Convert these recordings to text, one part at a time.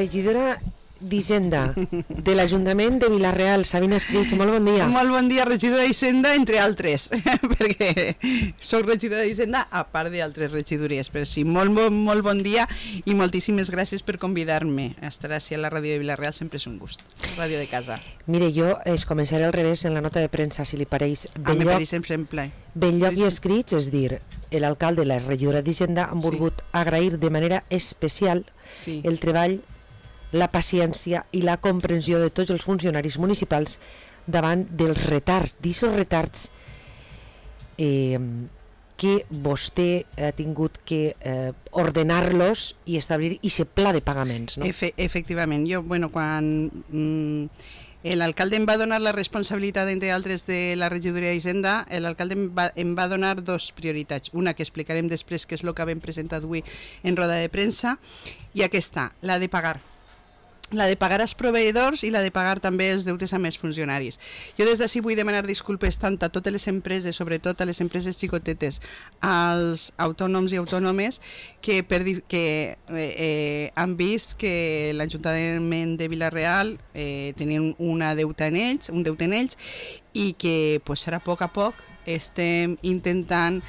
regidora d'Hisenda de l'Ajuntament de Vila-real, Sabina Escritx, molt bon dia. Molt bon dia, regidora d'Hisenda, entre altres, perquè soc regidora d'Hisenda a part d'altres regidories, però sí, molt bon dia i moltíssimes gràcies per convidar-me a estar així a la ràdio de Vila-real, sempre és un gust, ràdio de casa. Mire, jo es començaré al revés en la nota de premsa, si li pareix. A mi pareix sempre. Benlloc i Escritx, és dir, l'alcalde i la regidora d'Hisenda han volgut agrair de manera especial el treball, la paciència i la comprensió de tots els funcionaris municipals davant dels retards, d'aixòs retards que vostè ha tingut que ordenar-los i establir aquest pla de pagaments, no? Efectivament, jo, quan l'alcalde em va donar la responsabilitat, entre altres, de la regidoria d'Hisenda, l'alcalde em va donar dos prioritats, una que explicarem després, que és el que vam presentar avui en roda de premsa, i aquesta, la de pagar als proveïdors i la de pagar també els deutes amb els funcionaris. Jo des d'ací vull demanar disculpes tant a totes les empreses, sobretot a les empreses xicotetes, als autònoms i autònomes que han vist que l'Ajuntament de Vila-real tenien un deute en ells i que ara a poc estem intentant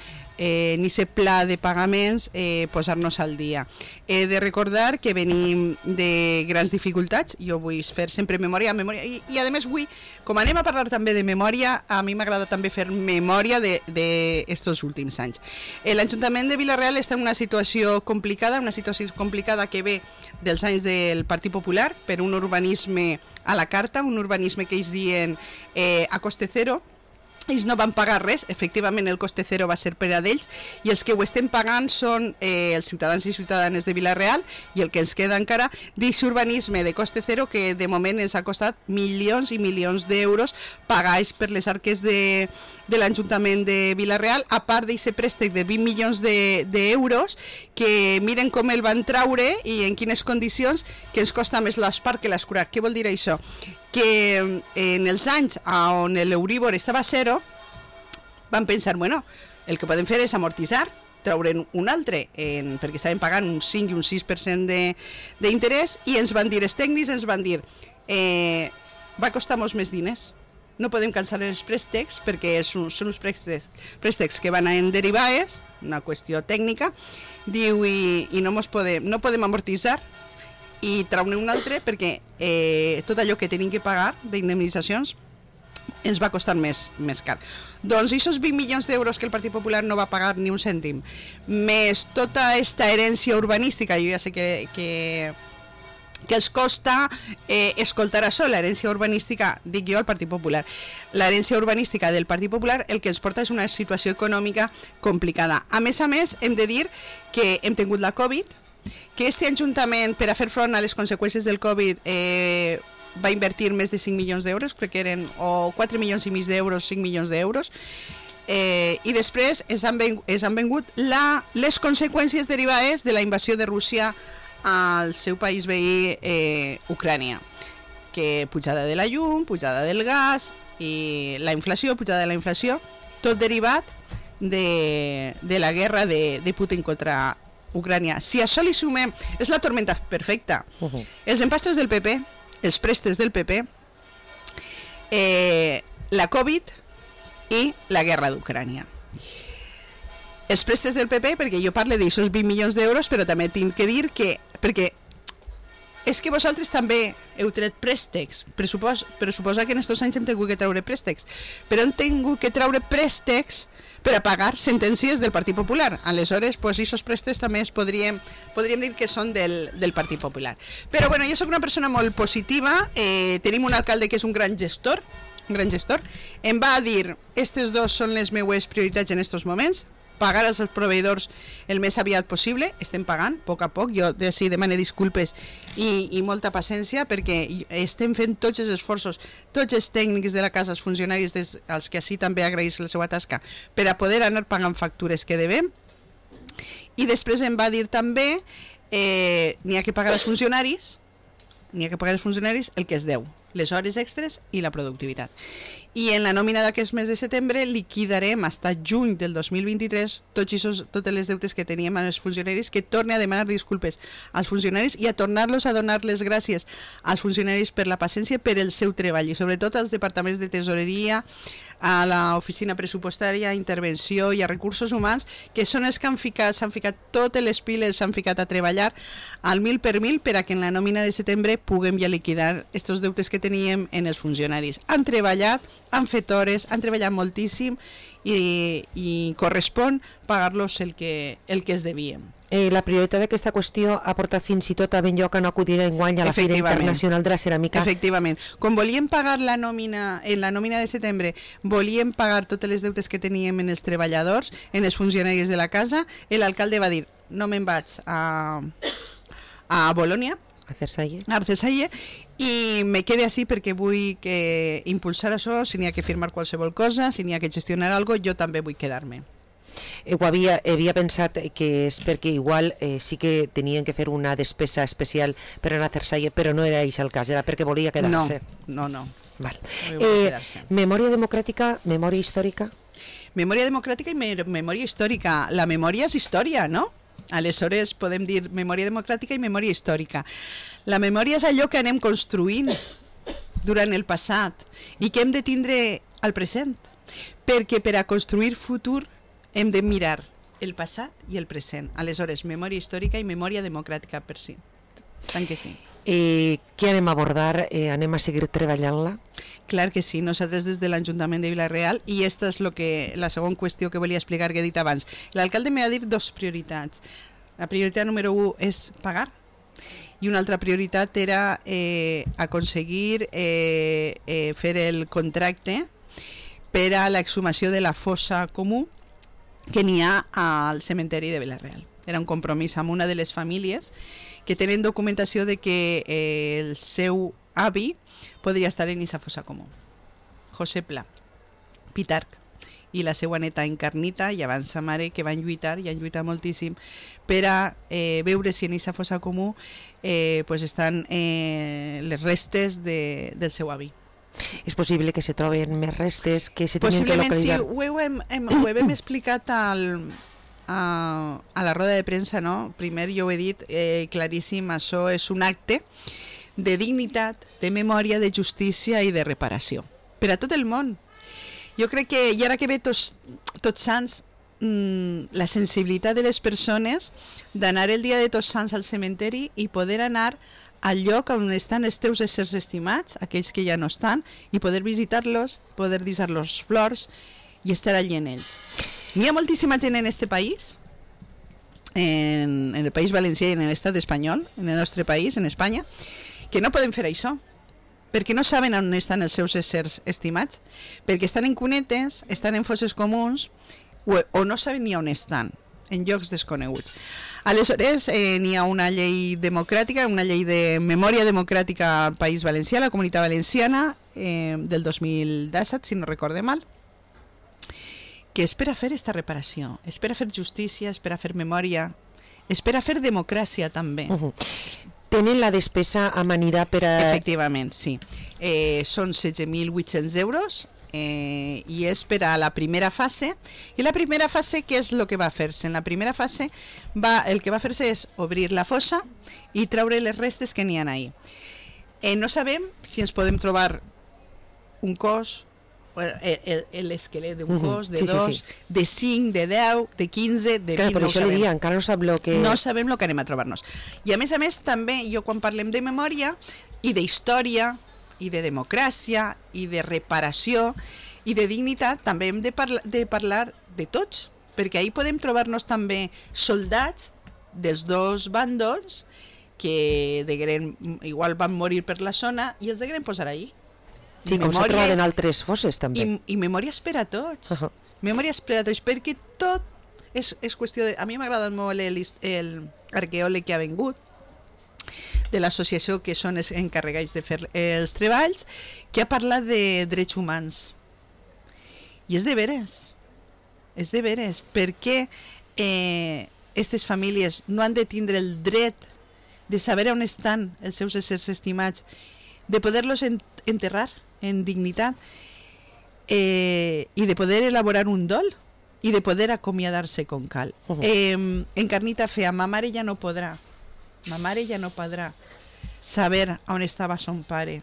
en aquest pla de pagaments posar-nos al dia. He de recordar que venim de grans dificultats, jo vull fer sempre memòria i a més vull, com anem a parlar també de memòria, a mi m'agrada també fer memòria d'estos últims anys. L'Ajuntament de Vila-real està en una situació complicada que ve dels anys del Partit Popular per un urbanisme a la carta, un urbanisme que ells diuen a coste zero. Ells no van pagar res, efectivament el coste zero va ser per a d'ells i els que ho estem pagant són els ciutadans i ciutadanes de Vila-real i el que ens queda encara d'aquest urbanisme de coste zero que de moment ens ha costat milions i milions d'euros pagats per les arques de l'Ajuntament de Vila-real, a part d'aquest préstec de 20 milions d'euros que miren com el van traure i en quines condicions, que ens costa més l'espart que l'escurat. Què vol dir això? Que en els anys on l'Euríbor estava a zero van pensar, el que podem fer és amortitzar, traure'n un altre, perquè estaven pagant un 5 i un 6% d'interès i ens van dir, els tècnics ens van dir va costar molts més diners, no podem cancel·lar els préstecs perquè són uns préstecs que van en derivades, una qüestió tècnica, diu, i no podem amortitzar i traure un altre perquè tot allò que tenim que pagar d'indemnitzacions ens va costar més car. Doncs aquests 20 milions d'euros que el Partit Popular no va pagar ni un cèntim, més tota aquesta herència urbanística, jo ja sé que els costa escoltar això, l'herència urbanística, dic jo, al Partit Popular. L'herència urbanística del Partit Popular el que ens porta és una situació econòmica complicada. A més, hem de dir que hem tingut la Covid, que este Ajuntament, per a fer front a les conseqüències del Covid, va invertir més de 5 milions d'euros, crec que eren o 4 milions i mig d'euros, 5 milions d'euros, i després ens han vengut les conseqüències derivades de la invasió de Rússia al seu país veí, Ucrània, que pujada de la llum, pujada del gas i la inflació, pujada de la inflació, tot derivat de la guerra de Putin contra Ucrània. Si a això li sumem, és la tormenta perfecta. Els empastres del PP, els préstecs del PP, la Covid i la guerra d'Ucrània. Els préstecs del PP, perquè jo parlo d'aixòs 20 milions d'euros, però també tinc que dir que, perquè és que vosaltres també heu tret préstecs, per suposar que en aquests anys hem tingut que treure préstecs, però hem tingut que treure préstecs per a pagar sentències del Partit Popular. Aleshores, aquests préstecs també podríem dir que són del Partit Popular. Però bueno, jo soc una persona molt positiva, tenim un alcalde que és un gran gestor, em va dir, aquestes dos són les meues prioritats en aquests moments, pagar als proveïdors el més aviat possible, estem pagant a poc, jo sí demano disculpes i molta paciència perquè estem fent tots els esforços, tots els tècnics de la casa, els funcionaris, als que així també agraïs la seva tasca, per a poder anar pagant factures que devem. I després em va dir també n'hi ha que pagar als funcionaris el que es deu. les hores extres i la productivitat. I en la nòmina d'aquest mes de setembre liquidarem fins a juny del 2023 totes les deutes que teníem amb els funcionaris, que torne a demanar disculpes als funcionaris i a tornar-los a donar les gràcies als funcionaris per la paciència, per el seu treball, i sobretot als departaments de tesoreria, a l'oficina pressupostària, a intervenció i a recursos humans, que són els que s'han ficat totes les piles, s'han ficat a treballar al 1000 per a que en la nòmina de setembre puguem ja liquidar estos deutes que teníem en els funcionaris. Han treballat, han fet hores, han treballat moltíssim i correspon pagar-los el que es devien. La prioritat d'aquesta qüestió ha portat fins i tot a ben lloc a no acudir enguany a la Fira Internacional de la Ceràmica. Efectivament. Quan volíem pagar en la nòmina de setembre, volíem pagar totes les deutes que teníem en els treballadors, en els funcionaris de la casa, l'alcalde va dir, no me'n vaig a Bolònia, a Arcessalle, i me quede així perquè vull que impulsar això, si n'hi ha que firmar qualsevol cosa, si n'hi ha que gestionar alguna cosa, jo també vull quedar-me. Havia pensat que és perquè igual sí que tenien que fer una despesa especial per anar a Arcessalle, però no era això el cas, era perquè volia quedar-se. No. Val. Memòria democràtica, memòria històrica? Memòria democràtica i memòria històrica. La memòria és història, no? Aleshores podem dir memòria democràtica i memòria històrica. La memòria és allò que anem construint durant el passat i que hem de tindre al present, perquè per a construir futur hem de mirar el passat i el present. Aleshores, memòria històrica i memòria democràtica per si. Tant que sí. Què anem a abordar? Anem a seguir treballant-la? Clar que sí, nosaltres des de l'Ajuntament de Vila-real, i aquesta és la segona qüestió que volia explicar que he dit abans. L'alcalde m'ha dit dos prioritats. La prioritat número 1 és pagar, i una altra prioritat era aconseguir fer el contracte per a l'exhumació de la fossa comú que n'hi ha al cementeri de Vila-real. Era un compromís amb una de les famílies que tenen documentació de que el seu avi podria estar en aquesta fossa comú. José Pla, Pitarc, i la seva neta Encarnita, i abans sa mare, que van lluitar, i han lluitat moltíssim, per a veure si en aquesta fossa comú estan les restes del seu avi. És possible que se troben més restes que se tenen que localitzar? Possiblement sí, ho hem explicat a la roda de premsa, no? Primer jo ho he dit claríssim, això és un acte de dignitat, de memòria, de justícia i de reparació per a tot el món. Jo crec que, i ara que ve Tots Sants, la sensibilitat de les persones d'anar el dia de Tots Sants al cementeri i poder anar al lloc on estan els teus éssers estimats, aquells que ja no estan, i poder visitar-los, poder deixar-los flors i estar allí en ells. N'hi ha moltíssima gent en este país, en el País Valencià i en l'estat espanyol, en el nostre país, en Espanya, que no poden fer això, perquè no saben on estan els seus éssers estimats, perquè estan en cunetes, estan en fosses comuns, o no saben ni on estan, en llocs desconeguts. Aleshores, n'hi ha una llei democràtica, una llei de memòria democràtica al País Valencià, la Comunitat Valenciana, del 2017, si no recorde mal, que és per a fer esta reparació, és per a fer justícia, és per a fer memòria, és per a fer democràcia també. Tenen la despesa amanida per a... Efectivament, sí. Són 16.800 euros i és per a la primera fase. I la primera fase, què és el que va fer-se? En la primera fase el que va fer-se és obrir la fossa i treure les restes que n'hi ha ahí. No sabem si ens podem trobar un cos, l'esquelet d'un cos, de dos, de 5, de 10, de 15, de 20, no ho sabem. Encara no sabem el que... No sabem el que anem a trobar-nos. I a més, també, jo quan parlem de memòria i d'història i de democràcia i de reparació i de dignitat, també hem de parlar de tots, perquè ahir podem trobar-nos també soldats dels dos bàndols que igual van morir per la zona i els degueren posar ahir. Sí, com s'ha trobat en altres fosses també. I memòries per a tots. Memòries per a tots, perquè tot és qüestió de... A mi m'agrada molt l'arqueòleg que ha vengut, de l'associació que són els encarregats de fer els treballs, que ha parlat de drets humans. I és de veres, perquè aquestes famílies no han de tindre el dret de saber on estan els seus éssers estimats de poderlos enterrar en dignitat i de poder elaborar un dol i de poder acomiadar-se com cal. Encarnita feia, ma mare ja no podrà saber on estava son pare.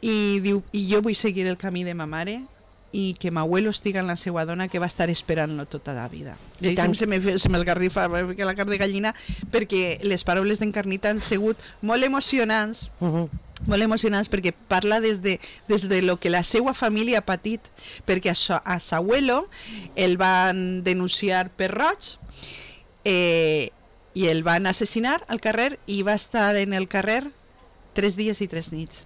I diu, i jo vull seguir el camí de ma mare i que m'abuelo estiga en la seva dona que va estar esperant-lo tota la vida. I tant se m'esgarrifa la carn de gallina perquè les paraules d'Encarnita han sigut molt emocionants, molt emocionants perquè parla des de lo que la seva família ha patit, perquè a s'abuelo el van denunciar per roig i el van assassinar al carrer i va estar en el carrer 3 dies i 3 nits.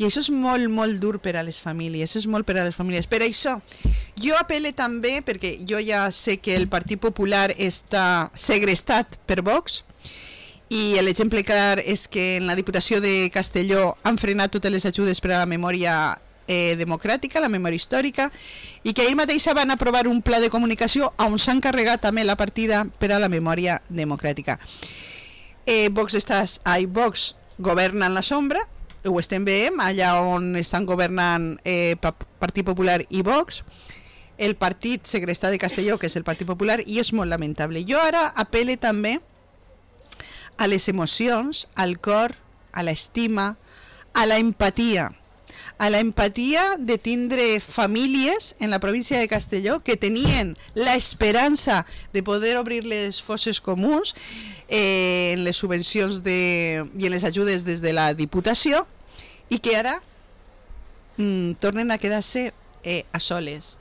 I això és molt, molt dur per a les famílies, és molt per a les famílies. Per això, jo apel·le també, perquè jo ja sé que el Partit Popular està segrestat per Vox, i l'exemple clar és que en la Diputació de Castelló han frenat totes les ajudes per a la memòria democràtica, la memòria històrica, i que ahir mateix van aprovar un pla de comunicació on s'han carregat també la partida per a la memòria democràtica. Vox governa en la sombra, ho estem veient, allà on estan governant Partit Popular i Vox, el partit segrestat de Castelló, que és el Partit Popular, i és molt lamentable. Jo ara apel·le també a les emocions, al cor, a l'estima, a la empatia de tindre famílies en la província de Castelló que tenien l'esperança de poder obrir les fosses comuns en les subvencions i en les ajudes des de la Diputació i que ara tornen a quedar-se a soles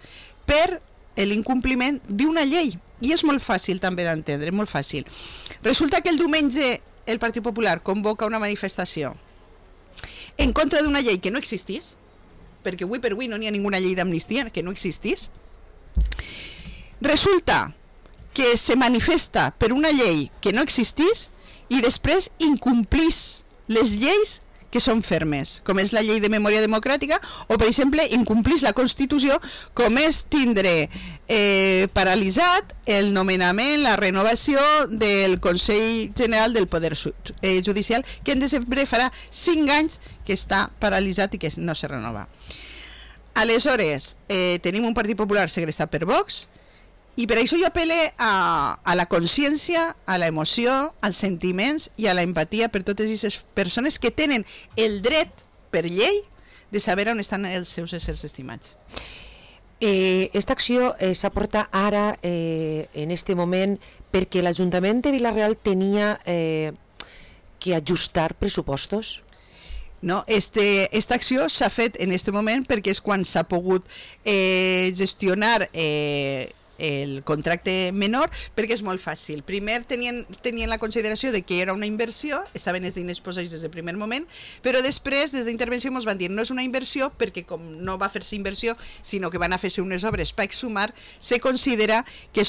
per l'incompliment d'una llei. I és molt fàcil també d'entendre, molt fàcil. Resulta que el diumenge el Partit Popular convoca una manifestació en contra d'una llei que no existís, perquè avui per avui no n'hi ha ninguna llei d'amnistia que no existís. Resulta que se manifesta per una llei que no existís i després incomplís les lleis que són fermes, com és la llei de memòria democràtica, o, per exemple, incomplís la Constitució, com és tindre paralitzat el nomenament, la renovació del Consell General del Poder Judicial, que en desembre farà 5 anys que està paralitzat i que no se renova. Aleshores, tenim un Partit Popular segrestat per Vox, i per això jo apel·le a la consciència, a l'emoció, als sentiments i a l'empatia per totes aquestes persones que tenen el dret per llei de saber on estan els seus éssers estimats. Esta acció s'aporta ara, en este moment, perquè l'Ajuntament de Vila-real tenia que ajustar pressupostos? No, esta acció s'ha fet en aquest moment perquè és quan s'ha pogut gestionar el contracte menor, perquè és molt fàcil. Primer tenien la consideració de que era una inversió, estaven els diners posats des del primer moment, però després, des d'intervenció, ens van dir no és una inversió perquè com no va fer-se inversió, sinó que van a fer-se unes obres per exhumar, se considera que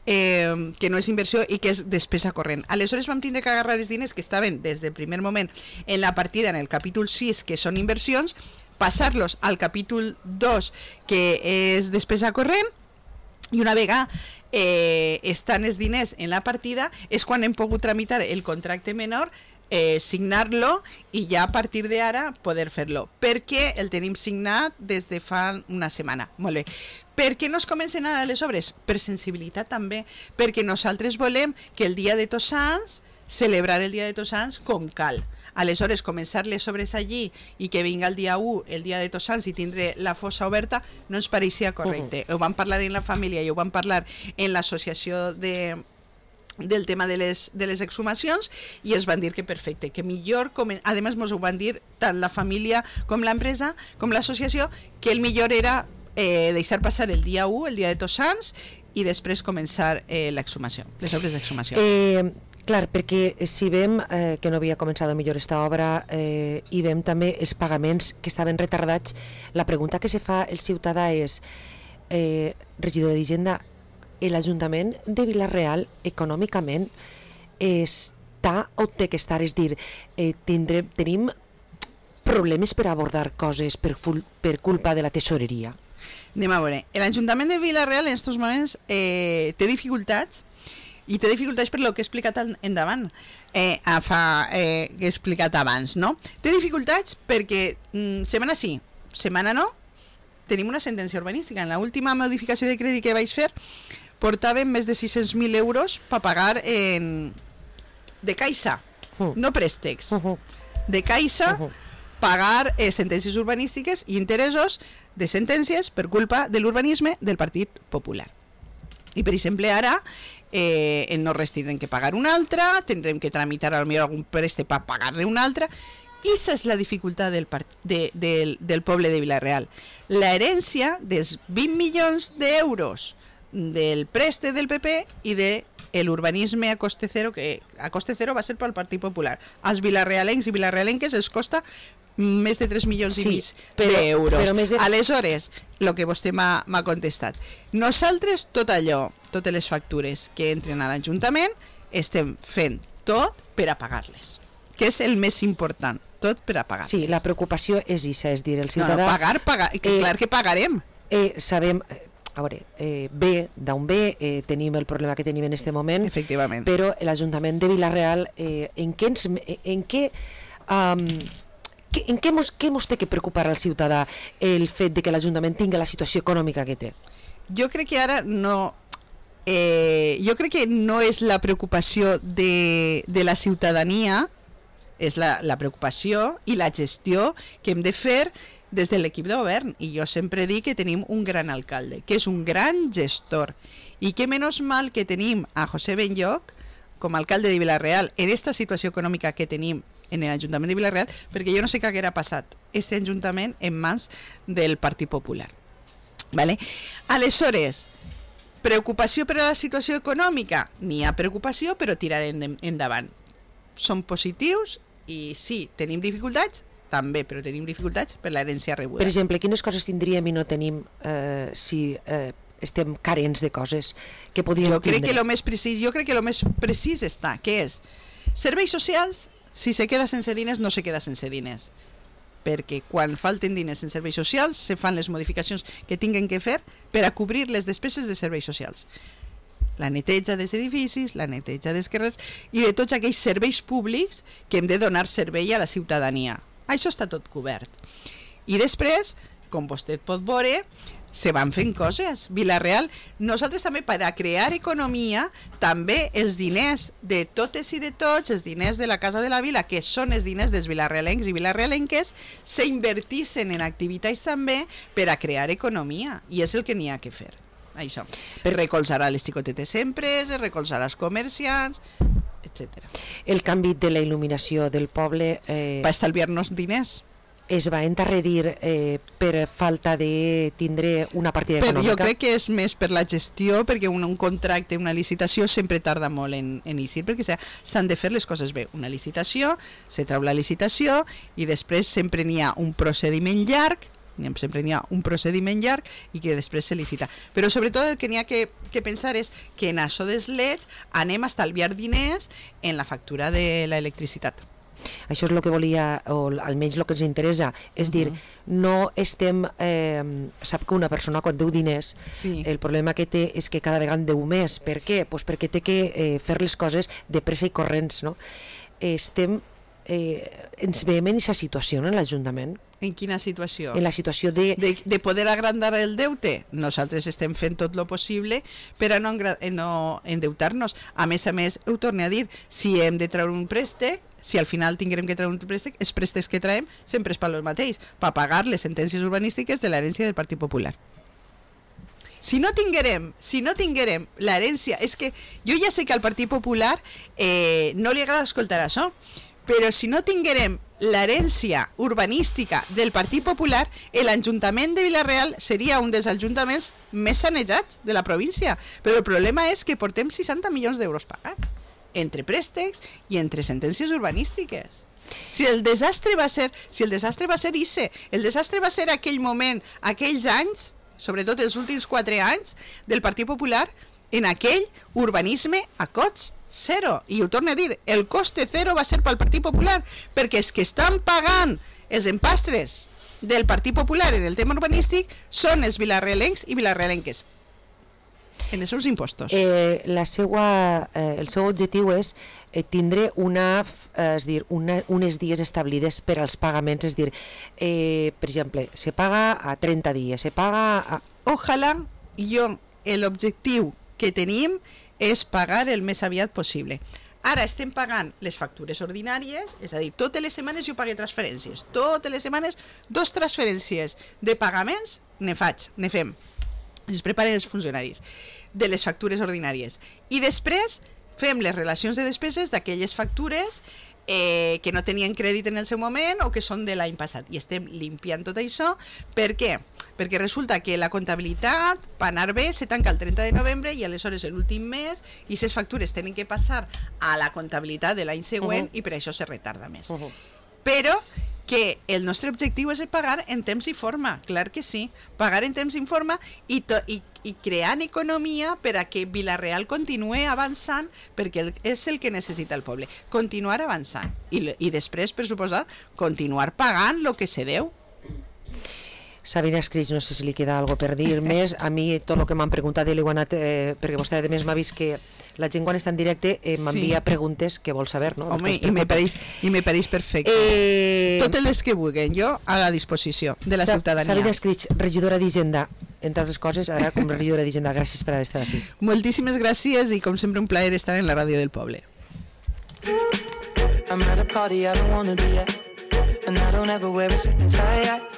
que no és inversió i que és despesa corrent. Aleshores vam tindre que agarrar els diners que estaven des del primer moment en la partida, en el capítol 6, que són inversions, passar-los al capítol 2, que és despesa corrent, i una vegada estan els diners en la partida és quan hem pogut tramitar el contracte menor, signar-lo i ja a partir d'ara poder fer-lo, perquè el tenim signat des de fa una setmana. Molt bé. Per què no es comencen ara les obres? Per sensibilitat també, perquè nosaltres volem que el dia de Tots Sants, celebrar el dia de Tots Sants com cal. Aleshores, començar les obres allí i que vinga el dia 1, el dia de Tots Sants, i tindre la fossa oberta, no ens pareixia correcte. Ho vam parlar en la família i ho vam parlar en l'associació del tema de les exhumacions i ens van dir que perfecte, que millor, a més ens ho van dir tant la família com l'empresa, com l'associació, que el millor era deixar passar el dia 1, el dia de Tots Sants, i després començar l'exhumació, les obres d'exhumació. Clar, perquè si vem que no havia començat millor esta obra i vem també els pagaments que estaven retardats, la pregunta que se fa el ciutadà és regidor d'Hisenda, l'Ajuntament de Vila-real econòmicament està o té que estar, és dir, tenim problemes per abordar coses per culpa de la tesoreria? Anem a veure, l'Ajuntament de Vila-real en aquests moments té dificultats I té dificultats per lo que he explicat endavant, que he explicat abans, no? Té dificultats perquè setmana sí, setmana no, tenim una sentència urbanística. En l'última modificació de crèdit que vaig fer portàvem més de 600.000 euros per pagar de caixa, no préstecs, de caixa, pagar sentències urbanístiques i interessos de sentències per culpa de l'urbanisme del Partit Popular. I, per exemple, ara no res tindrem que pagar una altra, tindrem que tramitar potser algun préstec per pagar-ne una altra, i aquesta és la dificultat del poble de Vila-real. L'herència dels 20 milions d'euros del préstec del PP i de l'urbanisme a coste zero, que a coste zero va ser pel Partit Popular. Als vilarrealencs i vilarrealenques es costa més de 3 milions i mig d'euros. Aleshores, el que vostè m'ha contestat, nosaltres tot allò, totes les factures que entren a l'Ajuntament, estem fent tot per a pagar-les, que és el més important, tot per a pagar-les. Sí, la preocupació és això, és dir, el ciutadà... No, pagar, clar que pagarem. Sabem... A veure, ve d'on ve, tenim el problema que tenim en aquest moment, efectivament, però l'Ajuntament de Vila-real, en què mos té que preocupar al ciutadà el fet de que l'Ajuntament tingui la situació econòmica que té? Jo crec que ara no... jo crec que no és la preocupació de la ciutadania, és la preocupació i la gestió que hem de fer des de l'equip de govern. I jo sempre dic que tenim un gran alcalde, que és un gran gestor, i que menys mal que tenim a José Benlloch com a alcalde de Vila-real en aquesta situació econòmica que tenim en l'Ajuntament de Vila-real, perquè jo no sé què haguera passat aquest Ajuntament en mans del Partit Popular. Vale? Aleshores, preocupació per a la situació econòmica? N'hi ha preocupació, però tirarem endavant. Som positius i sí, tenim dificultats, també, però tenim dificultats per l'herència rebuda. Per exemple, quines coses tindríem i no tenim si estem carents de coses que podríem tindre? Jo crec que el més precís està, què és? Serveis socials, si se queda sense diners, no se queda sense diners. Perquè quan falten diners en serveis socials, se fan les modificacions que tinguen que fer per a cobrir les despeses de serveis socials. La neteja dels edificis, la neteja dels carrers i de tots aquells serveis públics que hem de donar servei a la ciutadania. Això està tot cobert. I després, com vostè pot veure, se van fent coses. Vila-real, nosaltres també per a crear economia, també els diners de totes i de tots, els diners de la Casa de la Vila, que són els diners dels vilarrealencs i vilarrealenques, s'invertissin en activitats també per a crear economia. I és el que n'hi ha que fer. Això. Recolzar a les xicotetes empreses, recolzar als comerciants, etc. El canvi de la il·luminació del poble... Va estalviar-nos diners. Es va endarrerir per falta de tindre una partida econòmica? Jo crec que és més per la gestió, perquè un contracte, una licitació sempre tarda molt en eixir, perquè s'han de fer les coses bé. Una licitació, se treu la licitació i després sempre n'hi ha un procediment llarg, i que després se licita. Però sobretot el que n'hi ha que pensar és que en això dels leds anem a estalviar diners en la factura de l'electricitat. Això és el que volia, o almenys el que ens interessa, és dir, no estem... sap que una persona quan deu diners, el problema que té és que cada vegada en deu més. Per què? Pues perquè té que fer les coses de pressa i corrents, no? Ens veiem en aquesta situació en l'Ajuntament? En quina situació? En la situació de poder agrandar el deute. Nosaltres estem fent tot el possible per a no endeutar-nos. A més, ho torno a dir, si hem de treure un préstec, si al final tinguem que treure un préstec, els préstecs que traiem sempre és per el mateix, per pagar les sentències urbanístiques de l'herència del Partit Popular. Si no tinguérem l'herència... És que jo ja sé que al Partit Popular no li agrada escoltar això, però si no tinguérem l'herència urbanística del Partit Popular, l'Ajuntament de Vila-real seria un dels ajuntaments més sanejats de la província. Però el problema és que portem 60 milions d'euros pagats, entre préstecs i entre sentències urbanístiques. Si el desastre va ser ICE, el desastre va ser aquell moment, aquells anys, sobretot els últims 4 anys del Partit Popular, en aquell urbanisme a cost zero. I ho torno a dir, el coste zero va ser pel Partit Popular, perquè els que estan pagant els empastres del Partit Popular en el tema urbanístic són els vilarrealencs i vilarrealenques. en els seus impostos. El seu objectiu és tindre unes dies establides per als pagaments, és dir, per exemple, se paga a 30 dies, se paga a... Ojalà l'objectiu que tenim és pagar el més aviat possible. Ara estem pagant les factures ordinàries, és a dir, totes les setmanes jo pagué transferències, totes les setmanes 2 transferències de pagaments ne fem, es preparen els funcionaris de les factures ordinàries i després fem les relacions de despeses d'aquelles factures que no tenien crèdit en el seu moment o que són de l'any passat, i estem limpiant tot això. Per què? Perquè resulta que la comptabilitat, per anar bé, se tanca el 30 de novembre i aleshores l'últim mes, i aquestes factures tenen que passar a la comptabilitat de l'any següent i per això se retarda més. Però que el nostre objectiu és pagar en temps i forma, clar que sí, pagar en temps i forma i creant economia per a que Vila-real continuï avançant, perquè és el que necessita el poble, continuar avançant i després, per suposar, continuar pagant el que se deu. Sabina Escrig, no sé si li queda alguna cosa per dir més. A mi tot el que m'han preguntat li ho he anat, perquè vostè a més m'ha vist que la gent quan està en directe m'envia preguntes que vol saber, no? Home, i me pareix perfecte. Totes les que vulguin, jo a la disposició de la ciutadania. Sabina Escrig, regidora d'Hisenda, entre altres coses, ara com regidora d'Hisenda, gràcies per haver estat així. Moltíssimes gràcies i com sempre un plaer estar en la ràdio del poble. I'm at a party I don't wanna be at, and I don't ever wear a suit and tie.